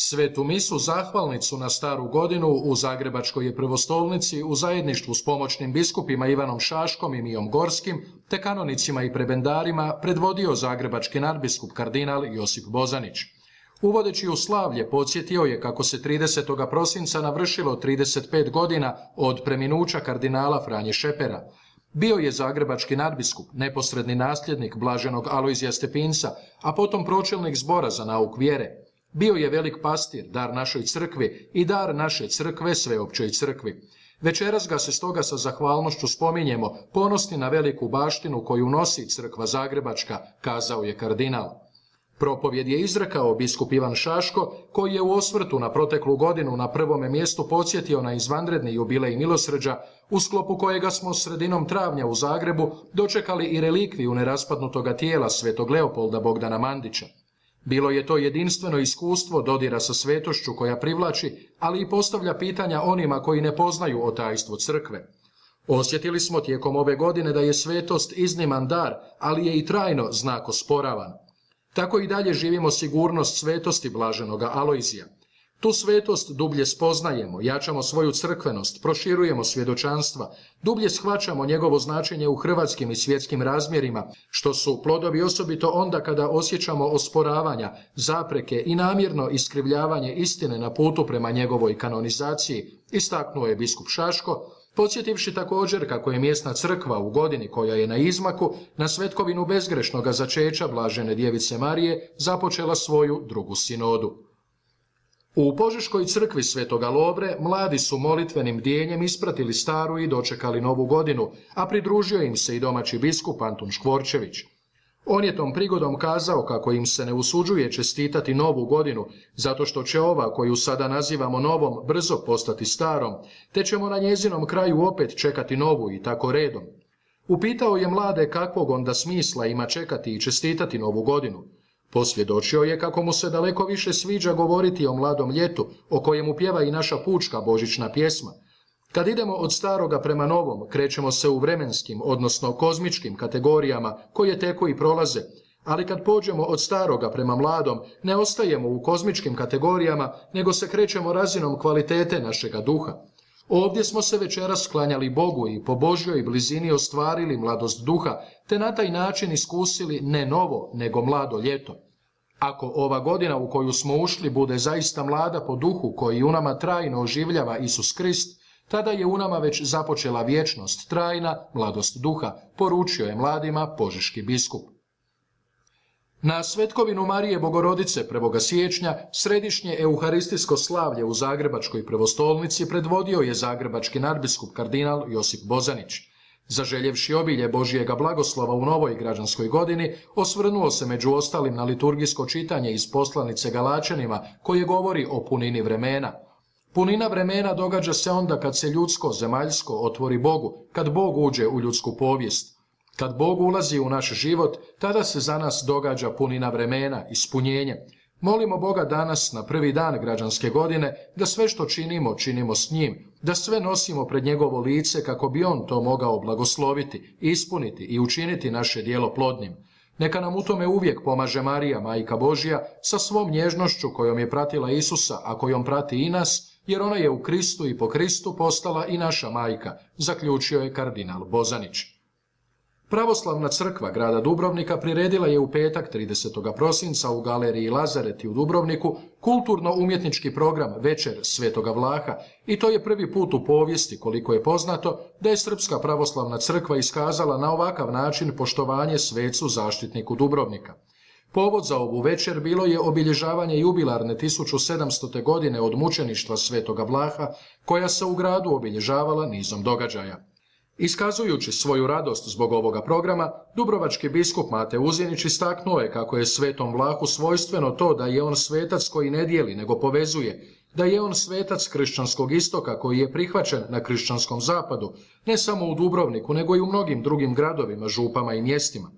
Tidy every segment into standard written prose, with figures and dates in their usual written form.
Svetu misu zahvalnicu na Staru godinu u Zagrebačkoj je prvostolnici u zajedništvu s pomoćnim biskupima Ivanom Šaškom i Mijom Gorskim te kanonicima i prebendarima predvodio zagrebački nadbiskup kardinal Josip Bozanić. Uvodeći u slavlje podsjetio je kako se 30. prosinca navršilo 35 godina od preminuća kardinala Franje Šepera. Bio je zagrebački nadbiskup, neposredni nasljednik blaženog Alojzija Stepinca, a potom pročelnik zbora za nauk vjere. Bio je velik pastir, dar našoj crkvi i dar naše crkve sveopćoj crkvi. Večeras ga se stoga sa zahvalnošću spominjemo, ponosni na veliku baštinu koju nosi crkva zagrebačka, kazao je kardinal. Propovjed je izrekao biskup Ivan Šaško, koji je u osvrtu na proteklu godinu na prvome mjestu podsjetio na izvanredni jubilej milosrđa, u sklopu kojega smo sredinom travnja u Zagrebu dočekali i relikviju neraspadnutoga tijela svetog Leopolda Bogdana Mandića. Bilo je to jedinstveno iskustvo dodira sa svetošću koja privlači, ali i postavlja pitanja onima koji ne poznaju o tajstvu crkve. Osjetili smo tijekom ove godine da je svetost izniman dar, ali je i trajno znak osporavan. Tako i dalje živimo sigurnost svetosti blaženoga Alojzija. Tu svetost dublje spoznajemo, jačamo svoju crkvenost, proširujemo svjedočanstva, dublje shvaćamo njegovo značenje u hrvatskim i svjetskim razmjerima, što su plodovi osobito onda kada osjećamo osporavanja, zapreke i namjerno iskrivljavanje istine na putu prema njegovoj kanonizaciji, istaknuo je biskup Šaško, podsjetivši također kako je mjesna crkva u godini koja je na izmaku na svetkovinu bezgrešnoga začeća blažene djevice Marije započela svoju drugu sinodu. U Požeškoj crkvi Svetoga Lovre mladi su molitvenim bdijenjem ispratili staru i dočekali novu godinu, a pridružio im se i domaći biskup Antun Škvorčević. On je tom prigodom kazao kako im se ne usuđuje čestitati novu godinu, zato što će ova, koju sada nazivamo novom, brzo postati starom, te ćemo na njezinom kraju opet čekati novu i tako redom. Upitao je mlade kakvog onda smisla ima čekati i čestitati novu godinu. Posvjedočio je kako mu se daleko više sviđa govoriti o mladom ljetu, o kojemu pjeva i naša pučka božićna pjesma. Kad idemo od staroga prema novom, krećemo se u vremenskim, odnosno kozmičkim kategorijama koje teku i prolaze, ali kad pođemo od staroga prema mladom, ne ostajemo u kozmičkim kategorijama, nego se krećemo razinom kvalitete našega duha. Ovdje smo se večeras sklanjali Bogu i po Božjoj blizini ostvarili mladost duha, te na taj način iskusili ne novo, nego mlado ljeto. Ako ova godina u koju smo ušli bude zaista mlada po duhu koji u nama trajno oživljava Isus Krist, tada je u nama već započela vječnost, trajna mladost duha, poručio je mladima požeški biskup. Na svetkovinu Marije Bogorodice 1. siječnja središnje euharistijsko slavlje u Zagrebačkoj prvostolnici predvodio je zagrebački nadbiskup kardinal Josip Bozanić. Zaželjevši obilje Božjega blagoslova u novoj građanskoj godini, osvrnuo se među ostalim na liturgijsko čitanje iz poslanice Galačanima koje govori o punini vremena. Punina vremena događa se onda kad se ljudsko, zemaljsko otvori Bogu, kad Bog uđe u ljudsku povijest. Kad Bog ulazi u naš život, tada se za nas događa punina vremena, ispunjenje. Molimo Boga danas, na prvi dan građanske godine, da sve što činimo, činimo s njim, da sve nosimo pred njegovo lice kako bi on to mogao blagosloviti, ispuniti i učiniti naše djelo plodnim. Neka nam u tome uvijek pomaže Marija, Majka Božja, sa svom nježnošću kojom je pratila Isusa, a kojom prati i nas, jer ona je u Kristu i po Kristu postala i naša majka, zaključio je kardinal Bozanić. Pravoslavna crkva grada Dubrovnika priredila je u petak 30. prosinca u galeriji Lazareti u Dubrovniku kulturno-umjetnički program Večer Svetoga Vlaha i to je prvi put u povijesti, koliko je poznato, da je Srpska pravoslavna crkva iskazala na ovakav način poštovanje svecu zaštitniku Dubrovnika. Povod za ovu večer bilo je obilježavanje jubilarne 1700. godine od mučeništva Svetoga Vlaha, koja se u gradu obilježavala nizom događaja. Iskazujući svoju radost zbog ovoga programa, dubrovački biskup Mate Uzinić istaknuo je kako je Svetom Vlahu svojstveno to da je on svetac koji ne dijeli nego povezuje, da je on svetac kršćanskog istoka koji je prihvaćen na kršćanskom zapadu, ne samo u Dubrovniku nego i u mnogim drugim gradovima, župama i mjestima.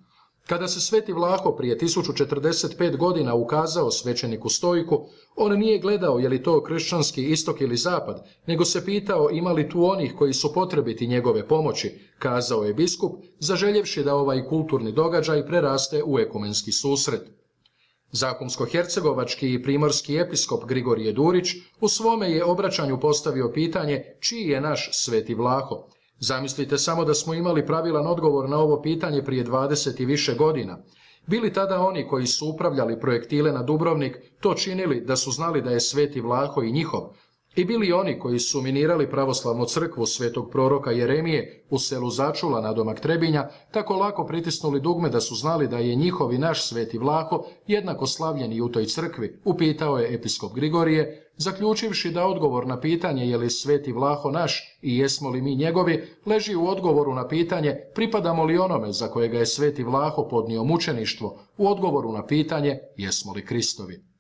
Kada se Sveti Vlaho prije 1045 godina ukazao svećeniku Stojku, on nije gledao je li to kršćanski istok ili zapad, nego se pitao ima li tu onih koji su potrebiti njegove pomoći, kazao je biskup, zaželjevši da ovaj kulturni događaj preraste u ekumenski susret. Zahumsko-hercegovački i primorski episkop Grigorije Durić u svome je obraćanju postavio pitanje čiji je naš Sveti Vlaho. Zamislite samo da smo imali pravilan odgovor na ovo pitanje prije 20 i više godina. Bili tada oni koji su upravljali projektile na Dubrovnik to činili da su znali da je Sveti Vlaho i njihov? I bili oni koji su minirali pravoslavnu crkvu svetog proroka Jeremije u selu Začula nadomak Trebinja tako lako pritisnuli dugme da su znali da je njihov i naš Sveti Vlaho jednako slavljen i u toj crkvi, upitao je episkop Grigorije, zaključivši da odgovor na pitanje je li Sveti Vlaho naš i jesmo li mi njegovi, leži u odgovoru na pitanje pripadamo li onome za kojega je Sveti Vlaho podnio mučeništvo, u odgovoru na pitanje jesmo li Kristovi.